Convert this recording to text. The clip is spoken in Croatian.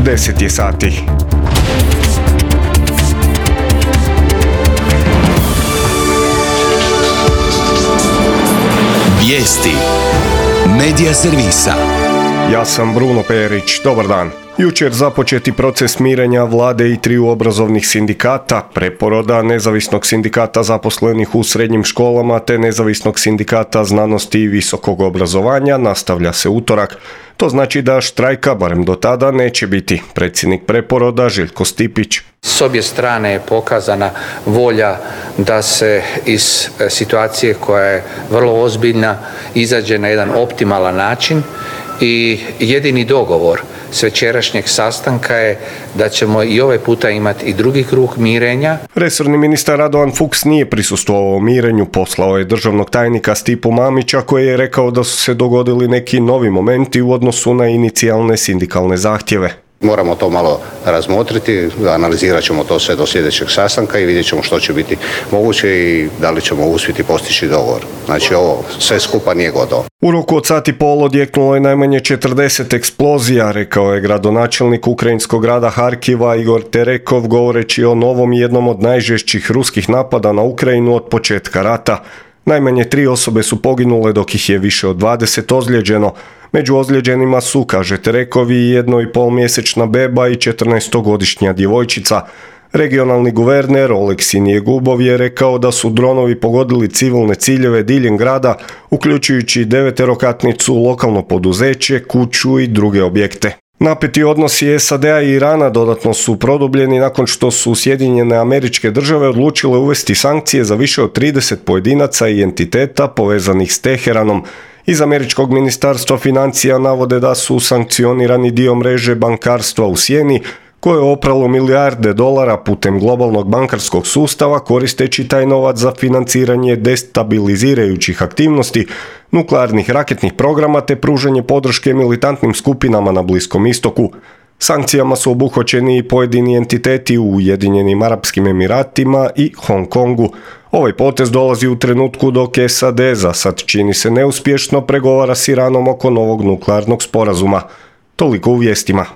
10 je sati. Vijesti Medija servisa. Ja sam Bruno Perić, dobar dan. Jučer započeti proces mirenja vlade i triju obrazovnih sindikata, preporoda Nezavisnog sindikata zaposlenih u srednjim školama te Nezavisnog sindikata znanosti i visokog obrazovanja nastavlja se utorak. To znači da štrajka, barem do tada, neće biti. Predsjednik preporoda Željko Stipić. S obje strane je pokazana volja da se iz situacije koja je vrlo ozbiljna izađe na jedan optimalan način i jedini dogovor s večerašnjeg sastanka je da ćemo i ovaj puta imati i drugi krug mirenja. Resorni ministar Radovan Fuchs nije prisustvovao mirenju, poslao je državnog tajnika Stipu Mamića koji je rekao da su se dogodili neki novi momenti u odnosu na inicijalne sindikalne zahtjeve. Moramo to malo razmotriti, analizirat ćemo to sve do sljedećeg sastanka i vidjet ćemo što će biti moguće i da li ćemo uspjeti postići dogovor. Znači ovo sve skupa nije gotovo. U roku od sat i pol odjeknulo je najmanje 40 eksplozija, rekao je gradonačelnik ukrajinskog grada Harkiva Igor Terekov govoreći o novom i jednom od najžešćih ruskih napada na Ukrajinu od početka rata. Najmanje 3 osobe su poginule dok ih je više od 20 ozlijeđeno. Među ozlijeđenima su, kaže Terekov, i 1,5-mjesečna beba i 14-godišnja djevojčica. Regionalni guverner Oleksij Njegubov je rekao da su dronovi pogodili civilne ciljeve diljem grada, uključujući 9-katnicu, lokalno poduzeće, kuću i druge objekte. Napeti odnosi SAD-a i Irana dodatno su produbljeni nakon što su Sjedinjene Američke Države odlučile uvesti sankcije za više od 30 pojedinaca i entiteta povezanih s Teheranom. Iz američkog ministarstva financija navode da su sankcionirani dio mreže bankarstva u sjeni, koje je opralo milijarde dolara putem globalnog bankarskog sustava koristeći taj novac za financiranje destabilizirajućih aktivnosti, nuklearnih raketnih programa te pružanje podrške militantnim skupinama na Bliskom istoku. Sankcijama su obuhvaćeni i pojedini entiteti u Ujedinjenim Arapskim Emiratima i Hong Kongu. Ovaj potez dolazi u trenutku dok SAD za sad čini se neuspješno pregovara s Iranom oko novog nuklearnog sporazuma. Toliko u vijestima.